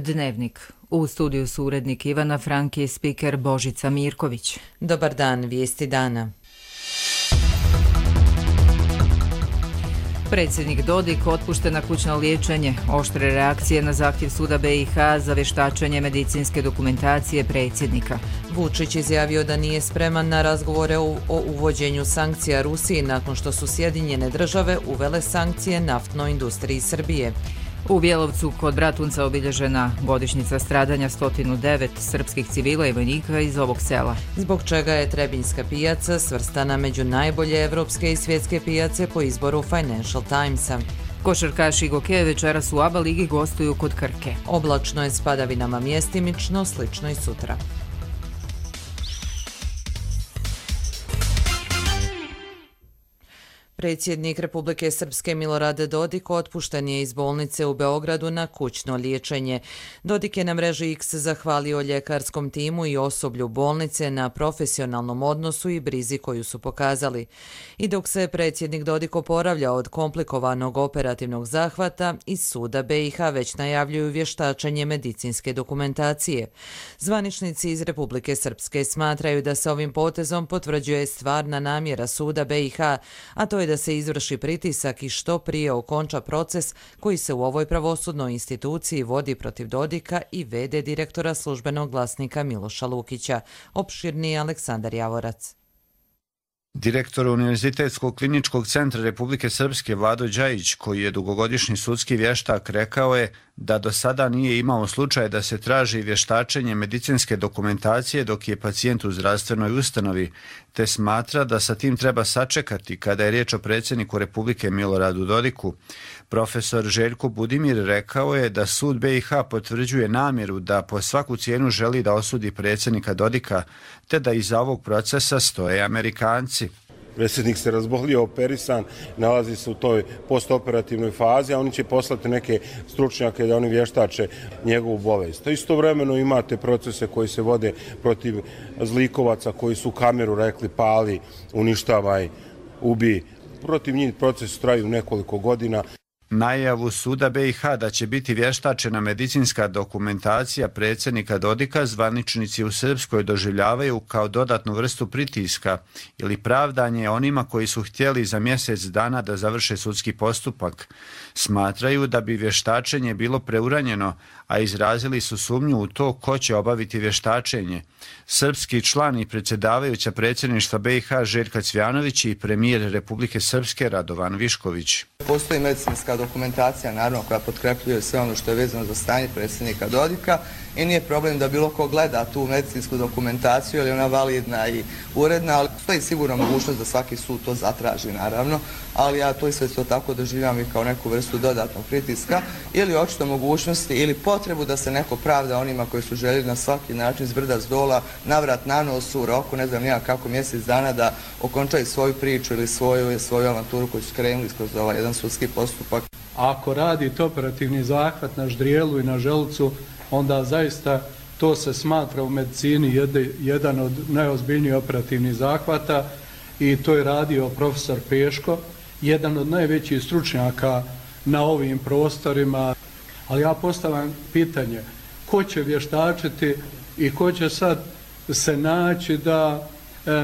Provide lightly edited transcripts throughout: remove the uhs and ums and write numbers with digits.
Dnevnik. U studiju su urednik Ivana Franki i spiker Božica Mirković. Dobar dan, vijesti dana. Predsjednik Dodik otpušten na kućno liječenje. Oštre reakcije na zahtjev suda BiH za vještačenje medicinske dokumentacije predsjednika. Vučić izjavio da nije spreman na razgovore o uvođenju sankcija Rusiji nakon što su Sjedinjene države uvele sankcije naftnoj industriji Srbije. U Bjelovcu kod Bratunca obilježena godišnjica stradanja 109 srpskih civila i vojnika iz ovog sela. Zbog čega je Trebinjska pijaca svrstana među najbolje evropske i svjetske pijace po izboru Financial Timesa. Košarkaši Goke večeras u ABA ligi gostuju kod Krke. Oblačno je s padavinama mjestimično, slično i sutra. Predsjednik Republike Srpske Milorad Dodik otpušten je iz bolnice u Beogradu na kućno liječenje. Dodik je na mreži X zahvalio ljekarskom timu i osoblju bolnice na profesionalnom odnosu i brizi koju su pokazali. I dok se predsjednik Dodik oporavlja od komplikovanog operativnog zahvata, iz suda BiH već najavljuju vještačenje medicinske dokumentacije. Zvaničnici iz Republike Srpske smatraju da se ovim potezom potvrđuje stvarna namjera suda BiH, a to je da se izvrši pritisak i što prije okonča proces koji se u ovoj pravosudnoj instituciji vodi protiv Dodika i v.d. direktora službenog glasnika Miloša Lukića. Opširniji Aleksandar Javorac. Direktor Univerzitetskog kliničkog centra Republike Srpske Vlado Đajić, koji je dugogodišnji sudski vještak, rekao je da do sada nije imao slučaj da se traži vještačenje medicinske dokumentacije dok je pacijent u zdravstvenoj ustanovi, te smatra da sa tim treba sačekati kada je riječ o predsjedniku Republike Miloradu Dodiku. Profesor Željko Budimir rekao je da sud BiH potvrđuje namjeru da po svaku cijenu želi da osudi predsjednika Dodika, te da iza ovog procesa stoje Amerikanci. Predsjednik se razbolio, operisan, nalazi se u toj postoperativnoj fazi, a oni će poslati neke stručnjake da oni vještače njegovu bolest. Istovremeno imate procese koji se vode protiv zlikovaca koji su kameru rekli pali, uništavaj, ubi. Protiv njih proces traju nekoliko godina. Najavu suda BiH da će biti vještačena medicinska dokumentacija predsjednika Dodika zvaničnici u Srpskoj doživljavaju kao dodatnu vrstu pritiska ili pravdanje onima koji su htjeli za mjesec dana da završe sudski postupak. Smatraju da bi vještačenje bilo preuranjeno, a izrazili su sumnju u to ko će obaviti vještačenje. Srpski član i predsjedavajuća predsjedništva BiH Željka Cvjanović i premijer Republike Srpske Radovan Višković. Postoji medicinska dokumentacija, naravno, koja potkrepljuje sve ono što je vezano za stanje predsjednika Dodika i nije problem da bilo ko gleda tu medicinsku dokumentaciju, ili ona validna i uredna, ali postoji sigurno mogućnost da svaki sud to zatraži, naravno, ali ja to sve to tako doživljam i kao neku vrstu dodatnog pritiska ili očito mogućnosti ili potrebu da se neko pravda onima koji su željeli na svaki način s brda s dola, navrat na nos u roku, ne znam nijak kako, mjesec dana da okončaju svoju priču ili svoju avanturu koju su krenuli kroz ovaj jedan sudski postupak. Ako radite operativni zahvat na ždrijelu i na želucu, onda zaista to se smatra u medicini jedan od najozbiljnijih operativnih zahvata i to je radio profesor Peško, jedan od najvećih stručnjaka na ovim prostorima. Ali ja postavljam pitanje, ko će vještačiti i ko će sad se naći da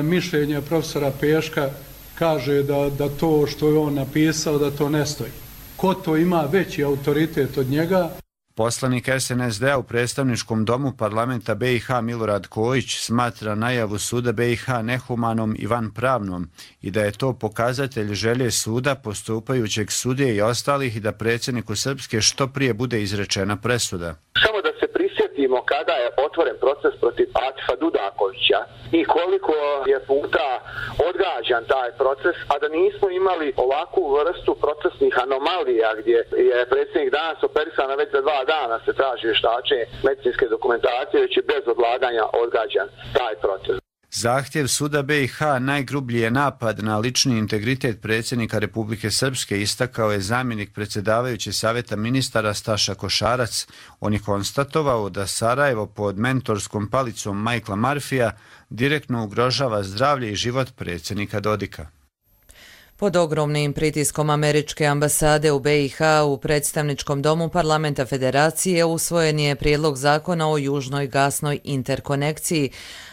mišljenje profesora Peška kaže da to što je on napisao da to ne stoji. Ko to ima veći autoritet od njega? Poslanik SNSD-a u predstavničkom domu parlamenta BiH Milorad Kojić smatra najavu suda BiH nehumanom i vanpravnom i da je to pokazatelj želje suda, postupajućeg sudije i ostalih i da predsjedniku Srpske što prije bude izrečena presuda. Samo da se prisjetimo kada je otvoren proces protiv Atifa Dudakovića i koliko je puta odgađan taj proces, a da nismo imali ovakvu vrstu procesnih anomalija gdje je predsjednik danas operisan, već za 2 dana se traži vještačenje medicinske dokumentacije, već je bez odlaganja odgađan taj proces. Zahtjev suda BiH najgrublji je napad na lični integritet predsjednika Republike Srpske, istakao je zamjenik predsjedavajući Savjeta ministara Staša Košarac. On je konstatovao da Sarajevo pod mentorskom palicom Michaela Murphyja direktno ugrožava zdravlje i život predsjednika Dodika. Pod ogromnim pritiskom američke ambasade u BiH u predstavničkom domu parlamenta Federacije usvojen je prijedlog zakona o južnoj gasnoj interkonekciji,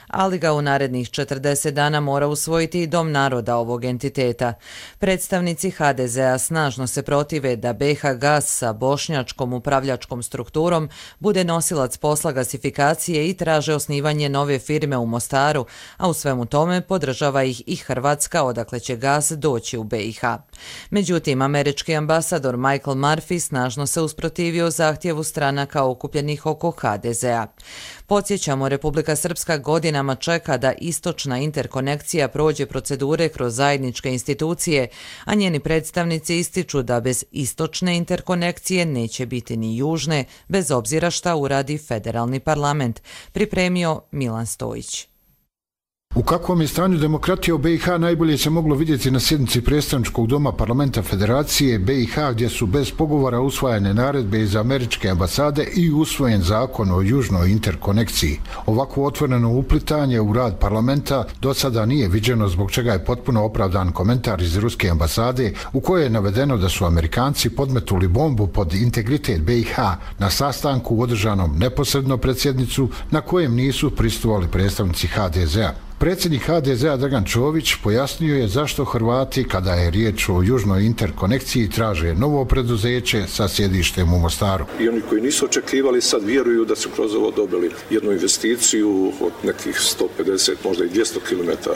ali ga u narednih 40 dana mora usvojiti i Dom naroda ovog entiteta. Predstavnici HDZ-a snažno se protive da BiH gas sa bošnjačkom upravljačkom strukturom bude nosilac posla gasifikacije i traže osnivanje nove firme u Mostaru, a u svemu tome podržava ih i Hrvatska, odakle će gas doći u BiH. Međutim, američki ambasador Michael Murphy snažno se usprotivio zahtjevu stranaka okupljenih oko HDZ-a. Podsjećamo, Republika Srpska godinama čeka da istočna interkonekcija prođe procedure kroz zajedničke institucije, a njeni predstavnici ističu da bez istočne interkonekcije neće biti ni južne, bez obzira šta uradi federalni parlament, pripremio Milan Stojić. U kakvom je stanju demokratija u BiH najbolje se moglo vidjeti na sjednici predstavničkog doma parlamenta Federacije BiH, gdje su bez pogovora usvajane naredbe iz američke ambasade i usvojen zakon o južnoj interkonekciji. Ovako otvoreno uplitanje u rad parlamenta do sada nije viđeno, zbog čega je potpuno opravdan komentar iz ruske ambasade u kojoj je navedeno da su Amerikanci podmetuli bombu pod integritet BiH na sastanku održanom neposredno pred sjednicu na kojem nisu prisustvovali predstavnici HDZ-a. Predsjednik HDZ-a Dragan Čović pojasnio je zašto Hrvati, kada je riječ o južnoj interkonekciji, traže novo preduzeće sa sjedištem u Mostaru. I oni koji nisu očekivali sad vjeruju da su kroz ovo dobili jednu investiciju od nekih 150, možda i 200 km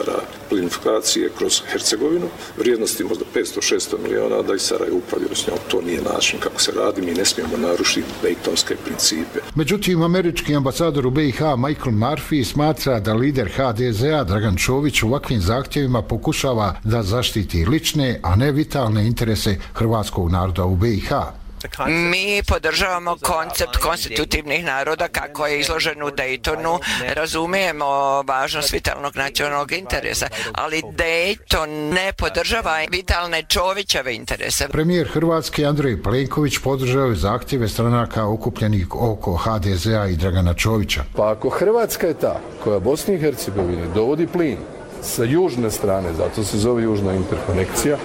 plinifikacije kroz Hercegovinu, vrijednosti možda 500-600 milijuna, da i Sarajevo upravljaju s njom. To nije način kako se radi, mi ne smijemo narušiti dejtonske principe. Međutim, američki ambasador u BiH Michael Murphy smatra da lider HDZ-a Dragan Čović ovakvim zahtjevima pokušava da zaštiti lične, a ne vitalne interese hrvatskog naroda u BiH. Mi podržavamo koncept konstitutivnih naroda kako je izložen u Daytonu, razumijemo važnost vitalnog nacionalnog interesa, ali Dayton ne podržava vitalne Čovićeve interese. Premijer Hrvatske Andrej Plenković podržao je zahtjeve stranaka okupljenih oko HDZ-a i Dragana Čovića. Pa ako Hrvatska je ta koja Bosni i Hercegovini dovodi plin sa južne strane, zato se zove južna interkonekcija,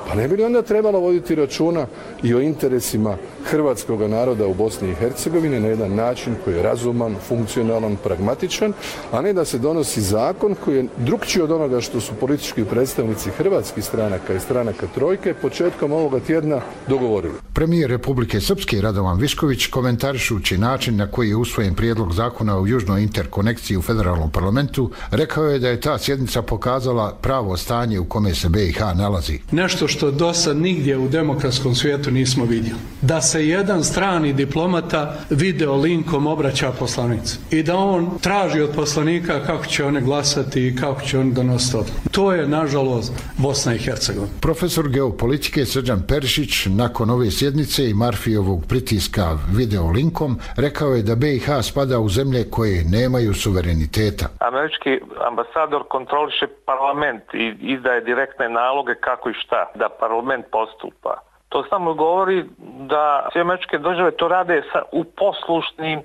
pa ne bi li onda trebalo voditi računa i o interesima hrvatskog naroda u Bosni i Hercegovini na jedan način koji je razuman, funkcionalan, pragmatičan, a ne da se donosi zakon koji je drukčiji od onoga što su politički predstavnici hrvatskih stranaka i stranaka trojke početkom ovoga tjedna dogovorili. Premijer Republike Srpske Radovan Višković, komentarišući način na koji je usvojen prijedlog zakona o južnoj interkonekciji u federalnom parlamentu, rekao je da je ta sjednica pokazala pravo stanje u kome se BiH nalazi. Nešto što do sad nigdje u demokratskom svijetu nismo vidjeli. Da se jedan strani diplomata video linkom obraća poslanici i da on traži od poslanika kako će one glasati i kako će oni donositi odluku. To je, nažalost, Bosna i Hercegovina. Profesor geopolitike Srđan Perišić nakon ove sjednice i Murphyjevog pritiska video linkom rekao je da BiH spada u zemlje koje nemaju suvereniteta. Američki ambasador kontroliše parlament i izdaje direktne naloge kako i šta da parlament postupa. To samo govori da sve američke države to rade u poslušnim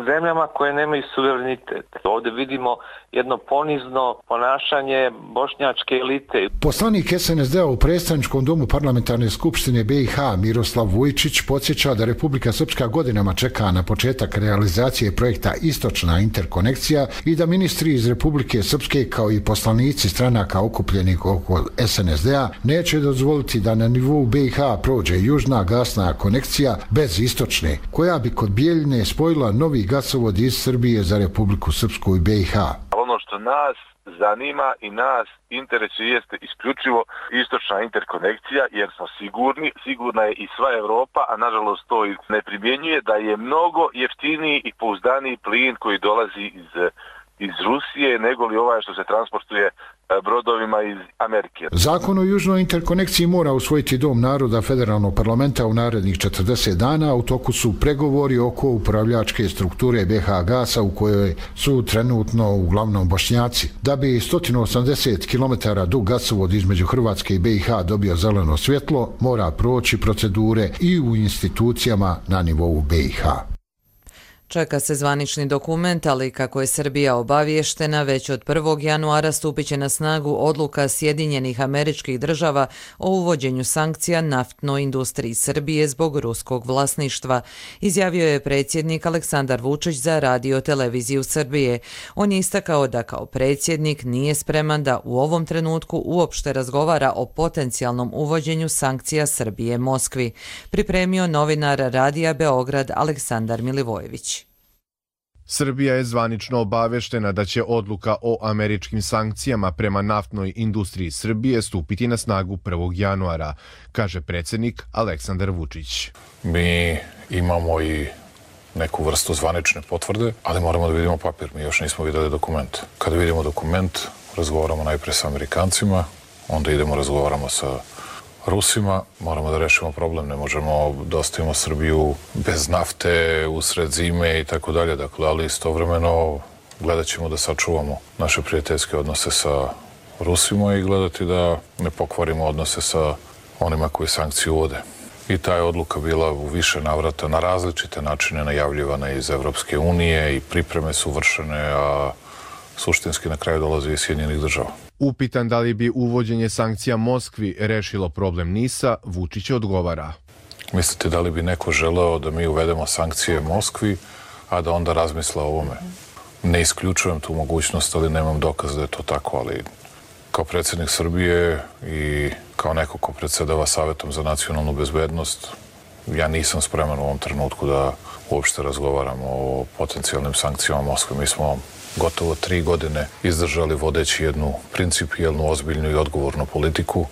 zemljama koje nemaju suverenitet. Ovdje vidimo jedno ponizno ponašanje bošnjačke elite. Poslanik SNSD-a u predstavničkom domu parlamentarne skupštine BiH Miroslav Vujčić podsjeća da Republika Srpska godinama čeka na početak realizacije projekta Istočna interkonekcija i da ministri iz Republike Srpske kao i poslanici stranaka okupljenih oko SNSD-a neće dozvoliti da na nivou BiH prođe južna gasna konekcija bez istočne, koja bi kod Bijeljine spojila novi gasovod iz Srbije za Republiku Srpsku i BiH. Ono što nas zanima i nas interesuje jeste isključivo istočna interkonekcija, jer smo sigurna je i sva Europa, a nažalost to ne primjenjuje, da je mnogo jeftiniji i pouzdaniji plin koji dolazi iz Rusije nego li ovaj što se transportuje brodovima iz Amerike. Zakon o južnoj interkonekciji mora usvojiti Dom naroda federalnog parlamenta u narednih 40 dana. U toku su pregovori oko upravljačke strukture BiH Gasa u kojoj su trenutno uglavnom Bošnjaci. Da bi 180 km dug gasovod između Hrvatske i BiH dobio zeleno svjetlo, mora proći procedure i u institucijama na nivou BiH. Čeka se zvanični dokument, ali kako je Srbija obavještena, već od 1. januara stupit će na snagu odluka Sjedinjenih Američkih Država o uvođenju sankcija naftnoj industriji Srbije zbog ruskog vlasništva, izjavio je predsjednik Aleksandar Vučić za Radio televiziju Srbije. On je istakao da kao predsjednik nije spreman da u ovom trenutku uopšte razgovara o potencijalnom uvođenju sankcija Srbije Moskvi, pripremio novinar Radija Beograd Aleksandar Milivojević. Srbija je zvanično obaveštena da će odluka o američkim sankcijama prema naftnoj industriji Srbije stupiti na snagu 1. januara, kaže predsjednik Aleksandar Vučić. Mi imamo i neku vrstu zvanične potvrde, ali moramo da vidimo papir. Mi još nismo videli dokument. Kada vidimo dokument, razgovaramo najpre sa Amerikancima, onda idemo razgovaramo sa Rusima, moramo da rešimo problem, ne možemo da ostavimo Srbiju bez nafte usred zime i tako dalje, dakle, ali istovremeno gledat ćemo da sačuvamo naše prijateljske odnose sa Rusima i gledati da ne pokvarimo odnose sa onima koji sankciju uvode. I ta je odluka bila u više navrata na različite načine najavljivana iz Evropske unije i pripreme su vršene, a suštinski na kraju dolazi iz Sjedinjenih Država. Upitan da li bi uvođenje sankcija Moskvi rešilo problem NIS-a, Vučić odgovara. Mislite da li bi neko želeo da mi uvedemo sankcije Moskvi, a da onda razmisla o ovome? Ne isključujem tu mogućnost, ali nemam dokaz da je to tako, ali kao predsjednik Srbije i kao neko ko predsjedava Savetom za nacionalnu bezbednost, ja nisam spreman u ovom trenutku da uopšte razgovaramo o potencijalnim sankcijama Moskve. Mi smo gotovo 3 godine izdržali vodeći jednu principijelnu, ozbiljnu i odgovornu politiku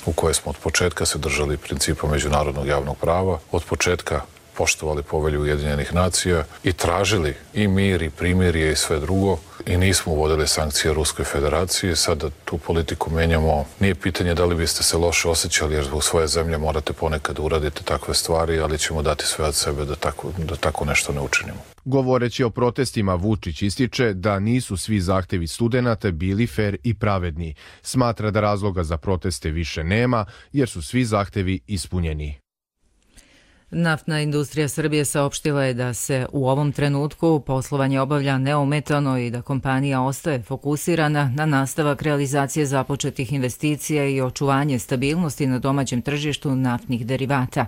u kojoj smo od početka se držali principa međunarodnog javnog prava, od početka poštovali povelju Ujedinjenih nacija i tražili i mir i primirje i sve drugo i nismo uvodili sankcije Ruskoj federaciji. Sada tu politiku menjamo. Nije pitanje da li biste se loše osjećali jer zbog svoje zemlje morate ponekad uraditi takve stvari, ali ćemo dati sve od sebe da tako nešto ne učinimo. Govoreći o protestima, Vučić ističe da nisu svi zahtevi studenata bili fer i pravedni. Smatra da razloga za proteste više nema jer su svi zahtevi ispunjeni. Naftna industrija Srbije saopštila je da se u ovom trenutku poslovanje obavlja neometano i da kompanija ostaje fokusirana na nastavak realizacije započetih investicija i očuvanje stabilnosti na domaćem tržištu naftnih derivata.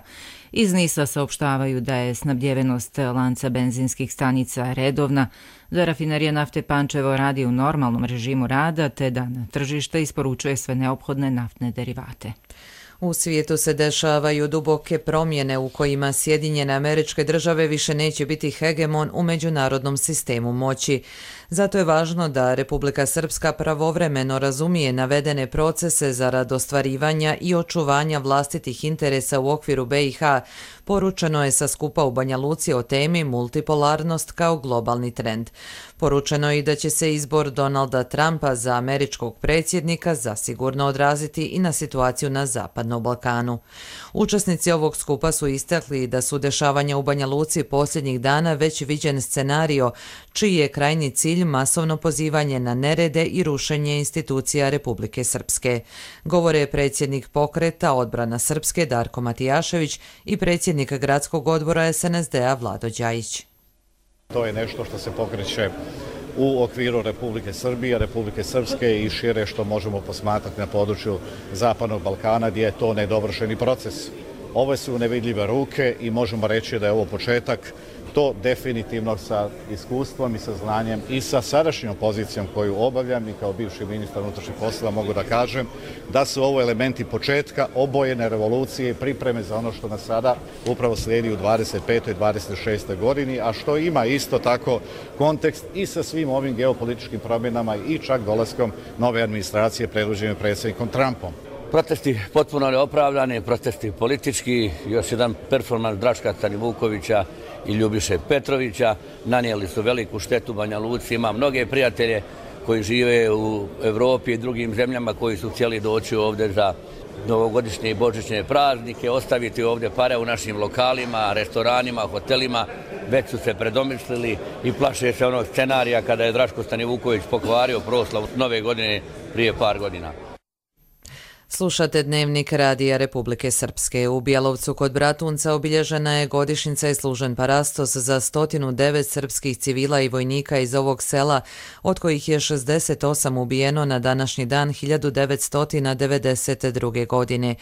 Iz NIS-a saopštavaju da je snabdjevenost lanca benzinskih stanica redovna, da rafinerija nafte Pančevo radi u normalnom režimu rada te da na tržište isporučuje sve neophodne naftne derivate. U svijetu se dešavaju duboke promjene u kojima Sjedinjene Američke Države više neće biti hegemon u međunarodnom sistemu moći. Zato je važno da Republika Srpska pravovremeno razumije navedene procese zarad ostvarivanja i očuvanja vlastitih interesa u okviru BiH, poručeno je sa skupa u Banja Luci o temi multipolarnost kao globalni trend. Poručeno je i da će se izbor Donalda Trumpa za američkog predsjednika zasigurno odraziti i na situaciju na Zapadnom Balkanu. Učesnici ovog skupa su istakli da su dešavanja u Banja Luci posljednjih dana već viđen scenario, čiji je krajnji cilj masovno pozivanje na nerede i rušenje institucija Republike Srpske. Govore predsjednik pokreta Odbrana Srpske Darko Matijašević i predsjednik gradskog odbora SNSD-a Vlado Đajić. To je nešto što se pokreće u okviru Republike Srbije, Republike Srpske i šire što možemo posmatrati na području Zapadnog Balkana gdje je to nedovršeni proces. Ovo su nevidljive ruke i možemo reći da je ovo početak. To definitivno sa iskustvom i sa znanjem i sa sadašnjom pozicijom koju obavljam i kao bivši ministar unutrašnjih poslova mogu da kažem da su ovo elementi početka obojene revolucije i pripreme za ono što nas sada upravo slijedi u 25. i 26. godini, a što ima isto tako kontekst i sa svim ovim geopolitičkim promjenama i čak dolaskom nove administracije predvođene predsjednikom Trumpom. Protesti potpuno neopravdani, protesti politički, još jedan performans Draška Stanivukovića i Ljubiše Petrovića, nanijeli su veliku štetu Banja Luci, ima mnoge prijatelje koji žive u Evropi i drugim zemljama koji su htjeli doći ovdje za novogodišnje i božićne praznike, ostaviti ovdje pare u našim lokalima, restoranima, hotelima, već su se predomislili i plaše se onog scenarija kada je Draško Stanivuković pokvario proslavu nove godine prije par godina. Slušate Dnevnik Radija Republike Srpske. U Bjelovcu kod Bratunca obilježena je godišnjica i služen parastos za 109 srpskih civila i vojnika iz ovog sela, od kojih je 68 ubijeno na današnji dan 1992. godine.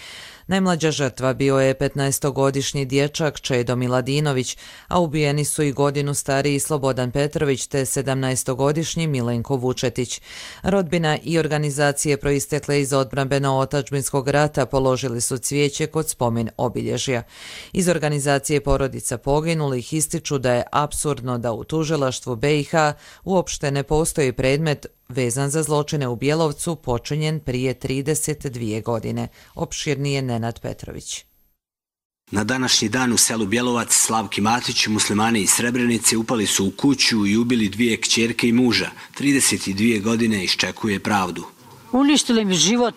Najmlađa žrtva bio je 15-godišnji dječak Čedo Miladinović, a ubijeni su i godinu stariji Slobodan Petrović te 17-godišnji Milenko Vučetić. Rodbina i organizacije proistekle iz odbrambeno-otadžbinskog rata položili su cvijeće kod spomen obilježja. Iz organizacije porodica poginulih ističu da je apsurdno da u tužilaštvu BiH uopšte ne postoji predmet vezan za zločine u Bjelovcu počinjen prije 32 godine. Opširnije Nenad Petrović. Na današnji dan u selu Bjelovac Slavki Matić, muslimani iz Srebrenice upali su u kuću i ubili 2 kćerke i muža. 32 godine iščekuje pravdu. Uništili mi život,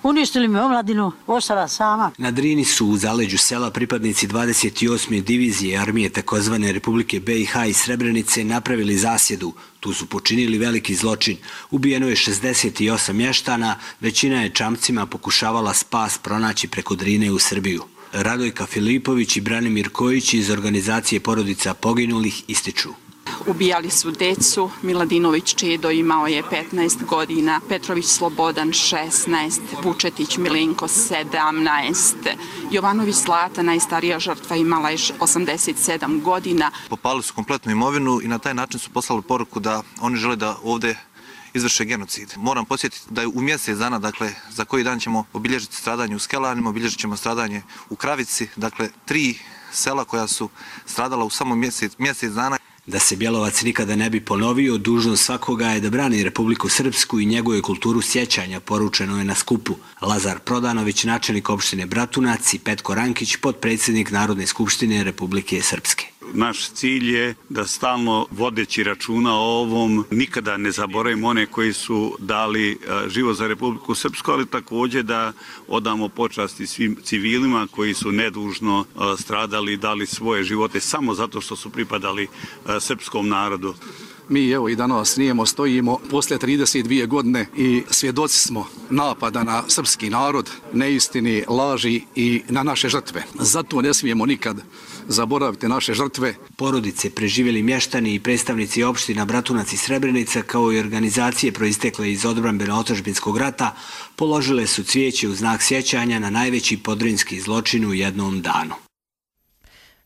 uništili mi omladinu, ostala sama. Na Drini su u zaleđu sela pripadnici 28. divizije armije takozvane Republike BiH iz Srebrenice napravili zasjedu. Tu su počinili veliki zločin. Ubijeno je 68 mještana, većina je čamcima pokušavala spas pronaći preko Drine u Srbiju. Radojka Filipović i Branimir Kojić iz organizacije porodica poginulih ističu. Ubijali su decu, Miladinović Čedo imao je 15 godina, Petrović Slobodan 16, Vučetić Milenko 17, Jovanović Zlata, najstarija žrtva, imala je 87 godina. Popali su kompletnu imovinu i na taj način su poslali poruku da oni žele da ovdje izvrše genocid. Moram podsjetiti da je u mjesec dana, dakle, za koji dan ćemo obilježiti stradanje u Skelanima, obilježit ćemo stradanje u Kravici, dakle, 3 sela koja su stradala u samo mjesec dana. Da se Bjelovac nikada ne bi ponovio, dužnost svakoga je da brani Republiku Srpsku i njegove kulturu sjećanja, poručeno je na skupu. Lazar Prodanović, načelnik opštine Bratunac, i Petko Rankić, potpredsjednik Narodne skupštine Republike Srpske. Naš cilj je da stalno vodeći računa o ovom nikada ne zaboravimo one koji su dali život za Republiku Srpsku, ali također da odamo počasti svim civilima koji su nedužno stradali i dali svoje živote samo zato što su pripadali srpskom narodu. Mi evo i danas snijemo, stojimo poslije 32 godine i svjedoci smo napada na srpski narod, neistini, laži i na naše žrtve. Zato ne smijemo nikad zaboraviti naše žrtve. Porodice, preživjeli mještani i predstavnici opština Bratunac i Srebrenica, kao i organizacije proistekle iz odbrambeno-otadžbinskog rata, položile su cvijeće u znak sjećanja na najveći podrinski zločin u jednom danu.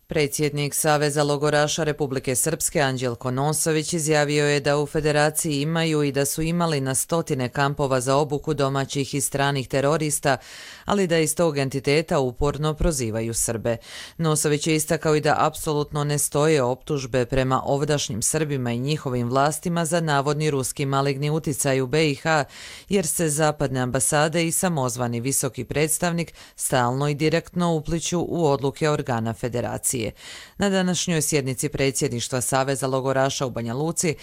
Predsjednik Saveza logoraša Republike Srpske Anđelko Nosović izjavio je da u federaciji imaju i da su imali na stotine kampova za obuku domaćih i stranih terorista, ali da iz tog entiteta uporno prozivaju Srbe. Nosović je istakao i da apsolutno ne stoje optužbe prema ovdašnjim Srbima i njihovim vlastima za navodni ruski maligni uticaj u BiH, jer se zapadne ambasade i samozvani visoki predstavnik stalno i direktno upliću u odluke organa federacije. Na današnjoj sjednici predsjedništva Saveza logoraša u Banja Luci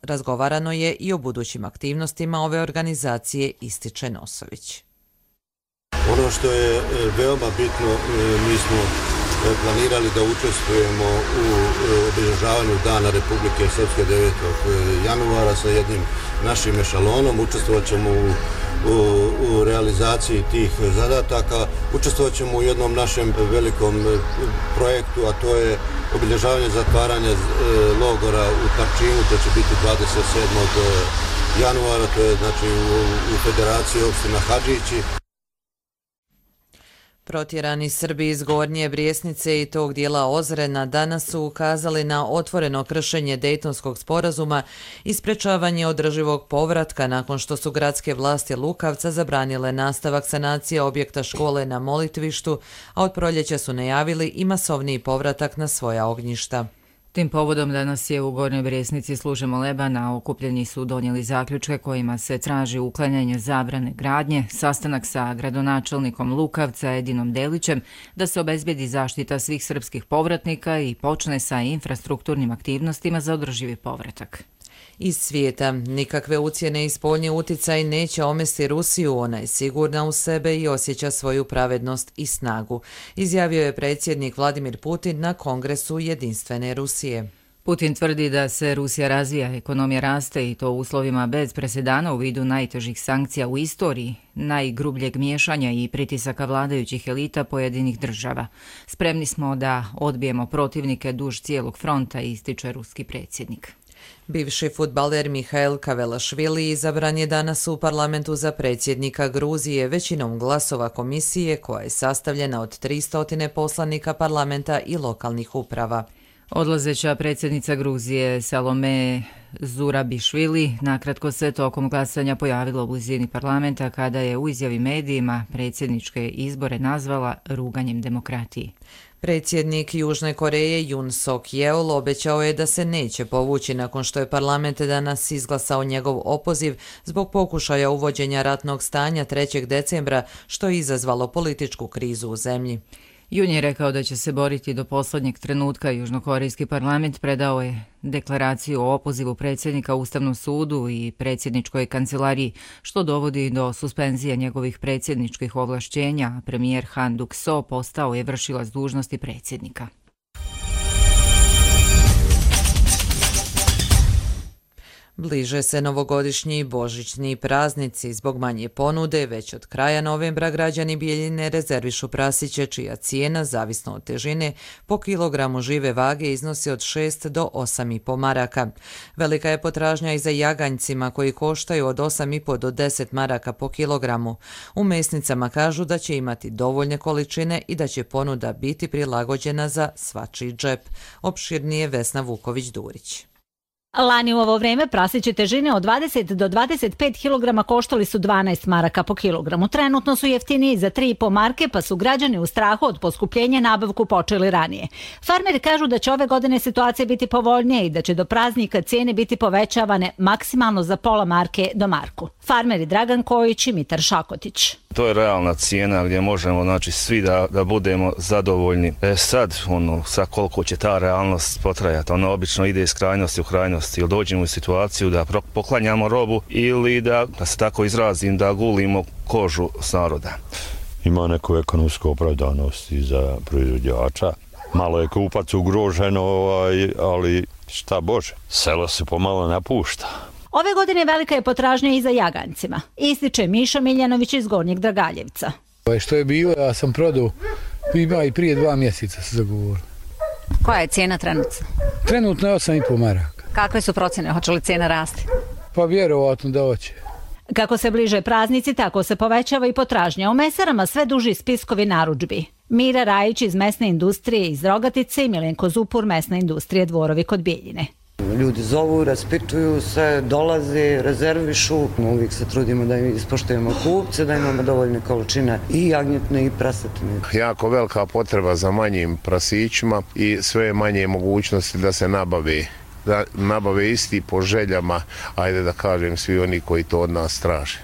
razgovarano je i o budućim aktivnostima ove organizacije, ističe Nosović. Ono što je veoma bitno, mi smo planirali da učestvujemo u obilježavanju Dana Republike Srpske 9. januara sa jednim našim ešalonom. Učestvovat ćemo u realizaciji tih zadataka. Učestvovat ćemo u jednom našem velikom projektu, a to je obilježavanje zatvaranja logora u Tarčinu, to će biti 27. januara, to je znači u Federaciji opština Hadžići. Protjerani Srbi iz Gornje Brijesnice i tog dijela Ozrena danas su ukazali na otvoreno kršenje Dejtonskog sporazuma i sprečavanje održivog povratka nakon što su gradske vlasti Lukavca zabranile nastavak sanacije objekta škole na Molitvištu, a od proljeća su najavili i masovniji povratak na svoja ognjišta. Tim povodom danas je u Gornjoj Brijesnici služe moleba, na okupljeni su donijeli zaključke kojima se traži uklanjanje zabrane gradnje, sastanak sa gradonačelnikom Lukavca Edinom Delićem, da se obezbedi zaštita svih srpskih povratnika i počne sa infrastrukturnim aktivnostima za održivi povratak. Iz svijeta nikakve ucjene i spoljni uticaj neće omesti Rusiju, ona je sigurna u sebe i osjeća svoju pravednost i snagu, izjavio je predsjednik Vladimir Putin na Kongresu Jedinstvene Rusije. Putin tvrdi da se Rusija razvija, ekonomija raste i to u uslovima bez presedana u vidu najtežih sankcija u istoriji, najgrubljeg miješanja i pritisaka vladajućih elita pojedinih država. Spremni smo da odbijemo protivnike duž cijelog fronta, ističe ruski predsjednik. Bivši fudbaler Mihail Kavelašvili izabran je danas u parlamentu za predsjednika Gruzije većinom glasova komisije koja je sastavljena od 300 poslanika parlamenta i lokalnih uprava. Odlazeća predsjednica Gruzije Salome Zurabišvili nakratko se tokom glasanja pojavila u blizini parlamenta kada je u izjavi medijima predsjedničke izbore nazvala ruganjem demokratiji. Predsjednik Južne Koreje Yoon Suk Yeol obećao je da se neće povući nakon što je parlament danas izglasao njegov opoziv zbog pokušaja uvođenja ratnog stanja 3. decembra, što je izazvalo političku krizu u zemlji. Yoon je rekao da će se boriti do posljednjeg trenutka. Južnokorejski parlament predao je deklaraciju o opozivu predsjednika Ustavnom sudu i predsjedničkoj kancelariji, što dovodi do suspenzije njegovih predsjedničkih ovlašćenja, a premijer Han Duk-so postao je vršilac dužnosti predsjednika. Bliže se novogodišnji i božićni praznici. Zbog manje ponude, već od kraja novembra građani Bijeljine rezervišu prasiće čija cijena, zavisno od težine, po kilogramu žive vage iznosi od 6 do 8,5 maraka. Velika je potražnja i za jaganjcima koji koštaju od 8,5 do 10 maraka po kilogramu. U mesnicama kažu da će imati dovoljne količine i da će ponuda biti prilagođena za svačiji džep. Opširnije Vesna Vuković-Durić. Lani u ovo vrijeme prasiće težine od 20 do 25 kg koštali su 12 maraka po kilogramu. Trenutno su jeftiniji za 3,5 marke, pa su građani u strahu od poskupljenja nabavku počeli ranije. Farmeri kažu da će ove godine situacija biti povoljnije i da će do praznika cijene biti povećavane maksimalno za pola marke do marku. Farmeri Dragan Kojić i Mitar Šakotić. To je realna cijena gdje možemo, znači, svi da budemo zadovoljni. Sad koliko će ta realnost potrajati, ono obično ide iz krajnosti u krajnosti, ili dođemo u situaciju da poklanjamo robu ili da se tako izrazim, da gulimo kožu s naroda. Ima neku ekonomsku opravdanost i za proizvođača. Malo je kupac ugrožen, ali šta Bože, selo se pomalo napušta. Ove godine velika je potražnja i za jaganjcima, ističe Miša Miljanović iz Gornjeg Dragaljevca. Što je bilo, ja sam prodao, ima i prije 2 mjeseca se zagovorio. Koja je cijena trenutno? Trenutno je 8,5 maraka. Kakve su procjene, hoće li cijena rasti? Pa vjerovatno da hoće. Kako se bliže praznici, tako se povećava i potražnja. U mesarama sve duži spiskovi narudžbi. Mira Rajić iz mesne industrije iz Rogatice i Milenko Zupur, mesna industrije Dvorovi kod Bijeljine. Ljudi zovu, raspituju se, dolaze, rezervišu. Uvijek se trudimo da ispoštujemo kupce, da imamo dovoljne količine i jagnjetne i prasetine. Jako velika potreba za manjim prasićima i sve manje mogućnosti da se nabave isti po željama, ajde da kažem, svi oni koji to od nas traže.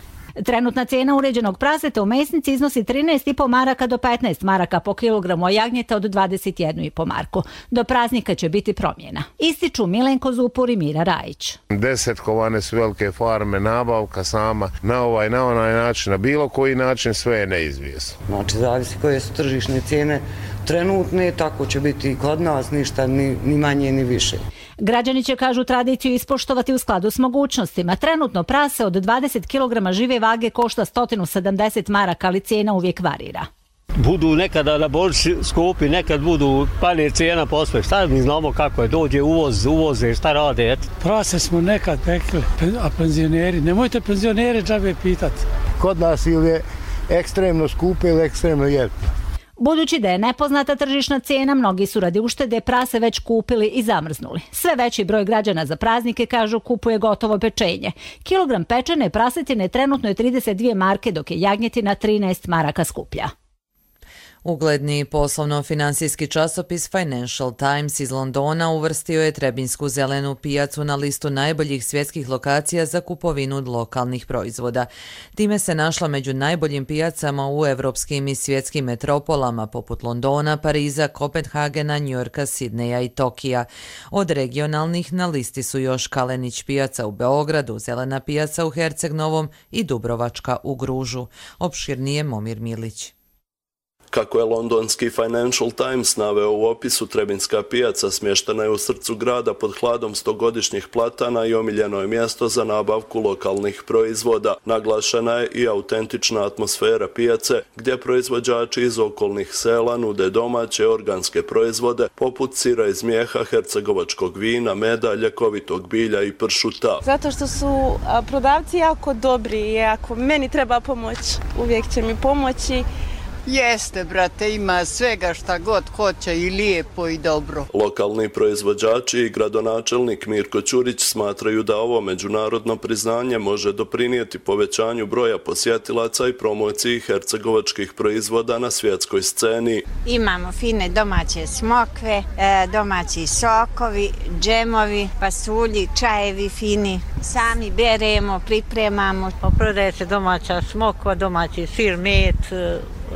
Trenutna cijena uređenog praseta u mesnici iznosi 13,5 maraka do 15 maraka po kilogramu, a jagnjeta od 21,5 marku. Do praznika će biti promjena. Ističu Milenko Zupur i Mira Rajić. Desetkovane su velike farme, nabavka sama na ovaj, na onaj način, na bilo koji način, sve je neizvjesno. Znači, zavisi koje su tržišne cijene trenutne, tako će biti i kod nas, ništa ni manje ni više. Građani će, kažu, tradiciju ispoštovati u skladu s mogućnostima. Trenutno prase od 20 kg žive vage košta 170 maraka, ali cijena uvijek varira. Budu nekada na borci skupi, nekad budu panje cijena posve. Šta mi znamo kako je, dođe uvoze, šta rade? Prase smo nekad pekli, a penzioneri, nemojte penzionere džabe pitati. Kod nas ili je ekstremno skupe ili ekstremno jeftino. Budući da je nepoznata tržišna cijena, mnogi su radi uštede prase već kupili i zamrznuli. Sve veći broj građana za praznike, kažu, kupuje gotovo pečenje. Kilogram pečene prasetine trenutno je 32 marke, dok je jagnjetina 13 maraka skuplja. Ugledni poslovno-finansijski časopis Financial Times iz Londona uvrstio je Trebinsku zelenu pijacu na listu najboljih svjetskih lokacija za kupovinu lokalnih proizvoda. Time se našla među najboljim pijacama u evropskim i svjetskim metropolama poput Londona, Pariza, Kopenhagena, Njujorka, Sidneja i Tokija. Od regionalnih na listi su još Kalenić pijaca u Beogradu, Zelena pijaca u Herceg Novom i Dubrovačka u Gružu. Opširnije Momir Milić. Kako je londonski Financial Times naveo u opisu, Trebinjska pijaca smještena je u srcu grada pod hladom 100-godišnjih platana i omiljeno je mjesto za nabavku lokalnih proizvoda. Naglašena je i autentična atmosfera pijace, gdje proizvođači iz okolnih sela nude domaće organske proizvode poput sira iz mjeha, hercegovačkog vina, meda, ljekovitog bilja i pršuta. Zato što su prodavci jako dobri i ako meni treba pomoć, uvijek će mi pomoći. Jeste, brate, ima svega šta god hoće i lijepo i dobro. Lokalni proizvođači i gradonačelnik Mirko Ćurić smatraju da ovo međunarodno priznanje može doprinijeti povećanju broja posjetilaca i promociji hercegovačkih proizvoda na svjetskoj sceni. Imamo fine domaće smokve, domaći sokovi, džemovi, pasulji, čajevi fini. Sami beremo, pripremamo. Prodaje se domaća smokva, domaći sir, med,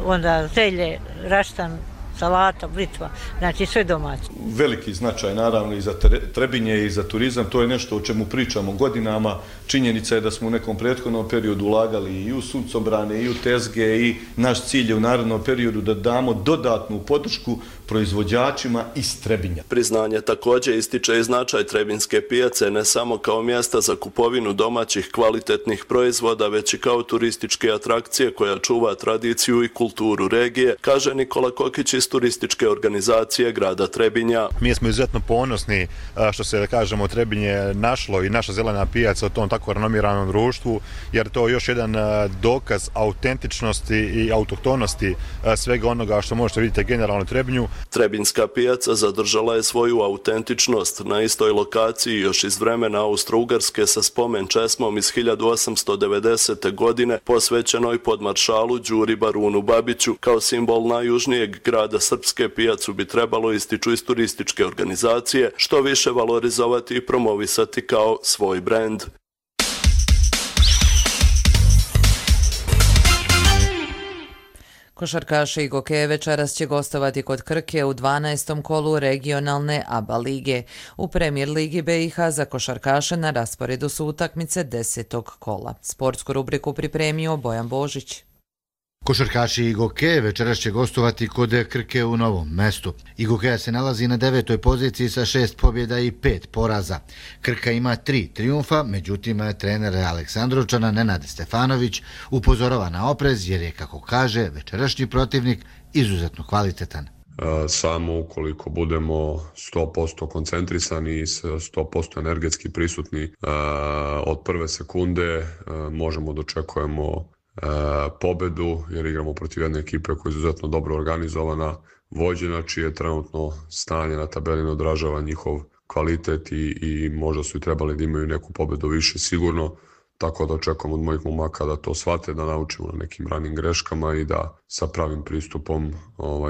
onda zelje, raštan, salata, blitva, znači sve domaće. Veliki značaj naravno i za Trebinje i za turizam, to je nešto o čemu pričamo godinama. Činjenica je da smo u nekom prethodnom periodu ulagali i u suncobrane i u tezge i naš cilj je u narednom periodu da damo dodatnu podršku proizvođačima iz Trebinja. Priznanje također ističe i značaj Trebinjske pijace ne samo kao mjesta za kupovinu domaćih kvalitetnih proizvoda, već i kao turističke atrakcije koja čuva tradiciju i kulturu regije, kaže Nikola Kokić iz turističke organizacije grada Trebinja. Mi smo izuzetno ponosni što se, da kažemo, Trebinje našlo i naša zelena pijaca u tom tako renomiranom društvu, jer to je još jedan dokaz autentičnosti i autohtonosti svega onoga što možete vidjeti generalno u Trebinju. Trebinjska pijaca zadržala je svoju autentičnost na istoj lokaciji još iz vremena Austro-Ugarske sa spomen česmom iz 1890. godine posvećenoj podmaršalu Đuri Barunu Babiću. Kao simbol najjužnijeg grada Srpske pijacu bi trebalo, ističu iz turističke organizacije, što više valorizovati i promovisati kao svoj brend. Košarkaši i Gokeje večeras će gostovati kod Krke u 12. kolu regionalne ABA lige. U Premier ligi BiH za košarkaše na rasporedu su utakmice 10. kola. Sportsku rubriku pripremio Bojan Božić. Košarkaši Igokeje večeras će gostovati kod Krke u Novom Mestu. Igokeja se nalazi na 9. poziciji sa 6 pobjeda i 5 poraza. Krka ima 3 trijumfa, međutim trener Aleksandrovčana Nenad Stefanović upozorava na oprez jer je, kako kaže, večerašnji protivnik izuzetno kvalitetan. Samo ukoliko budemo 100% koncentrisani i 100% energetski prisutni od prve sekunde možemo da očekujemo pobedu, jer igramo protiv jedne ekipe koja je izuzetno dobro organizovana, vođena, čije trenutno stanje na tabeli ne odražava njihov kvalitet i možda su i trebali da imaju neku pobedu više sigurno, tako da očekujem od mojih momaka da to shvate, da naučimo na nekim ranim greškama i da sa pravim pristupom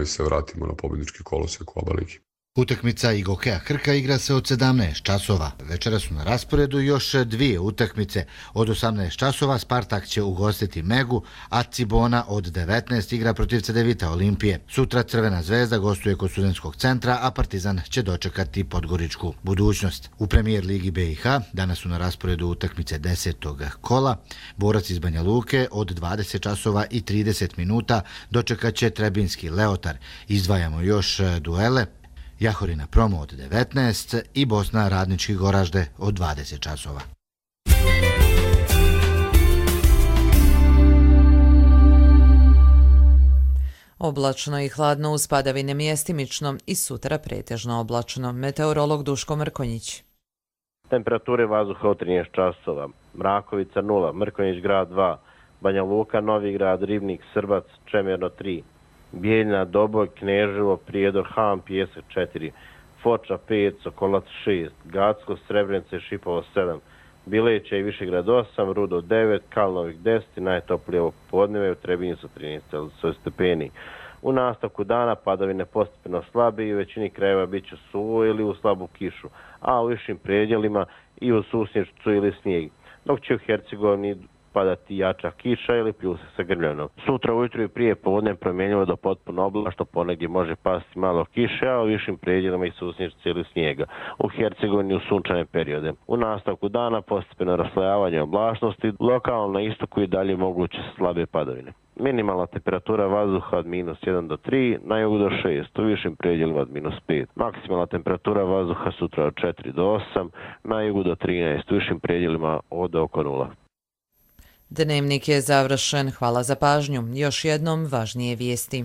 se vratimo na pobjednički kolosijek u ABA ligi. Utakmica Igokeja Krka igra se od 17 časova. Večera su na rasporedu još dvije utakmice. Od 18 časova Spartak će ugostiti Megu, a Cibona od 19 igra protiv Cedevita Olimpije. Sutra Crvena zvezda gostuje kod Studentskog centra, a Partizan će dočekati Podgoričku Budućnost. U Premier ligi BiH danas su na rasporedu utakmice 10. kola. Borac iz Banja Luke od 20 časova i 30 minuta dočekat će Trebinski Leotar. Izdvajamo još duele. Jahorina Promo od 19 i Bosna Radnički Goražde od 20 časova. Oblačno i hladno uz padavine mjestimično i sutra pretežno oblačno. Meteorolog Duško Mrkonjić. Temperature vazduha od 13 časova. Mrakovica 0, Mrkonjić grad 2, Banja Luka, Novi grad, Ribnik, Srbac, Čemerno 3. Bijeljna, Doboj, Kneževo, Prijedor, Ham, Pijesak 4, Foča 5, Sokolac 6, Gacko, Srebrenice, Šipovo 7, Bileća i Višegrad 8, Rudo 9, Kalnovik 10 i najtoplije ovo podneve u Trebinju su 13 stepeni. U nastavku dana padavine postepeno slabe i u većini krajeva bit će suvo ili u slabu kišu, a u višim predjelima i u susnječcu ili snijeg, dok će u Hercegovini padati jača kiša ili pljuse sa grmljanom. Sutra ujutru i prije podne promjenjivo do potpuno oblačno, ponegdje može pasti malo kiše, a u višim predjelima i susnječci ili snijega. U Hercegovini u sunčane periode. U nastavku dana postepeno raslojavanje oblačnosti, lokalno na istoku i dalje moguće slabe padavine. Minimalna temperatura vazduha od minus 1 do 3, na jugu do 6, u višim predjelima od minus 5. Maksimalna temperatura vazduha sutra od 4 do 8, na jugu do 13, u višim predjelima od oko 0. Dnevnik je završen. Hvala za pažnju. Još jednom važnije vijesti.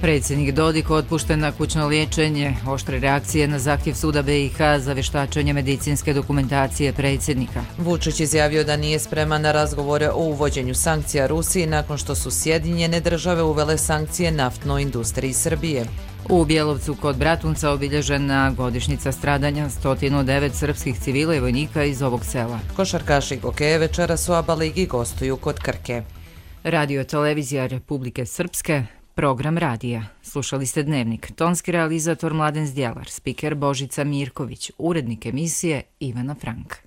Predsjednik Dodik otpušten na kućno liječenje. Oštre reakcije na zahtjev suda BiH za vještačenje medicinske dokumentacije predsjednika. Vučić izjavio da nije spreman na razgovore o uvođenju sankcija Rusiji nakon što su Sjedinjene države uvele sankcije naftnoj industriji Srbije. U Bjelovcu kod Bratunca obilježena godišnjica stradanja 109 srpskih civila i vojnika iz ovog sela. Košarkaši Gokeje večeras u ABA ligi gostuju kod Krke. Radio televizija Republike Srpske, program radija. Slušali ste Dnevnik. Tonski realizator Mladen Zdjelar, spiker Božica Mirković, urednik emisije Ivana Frank.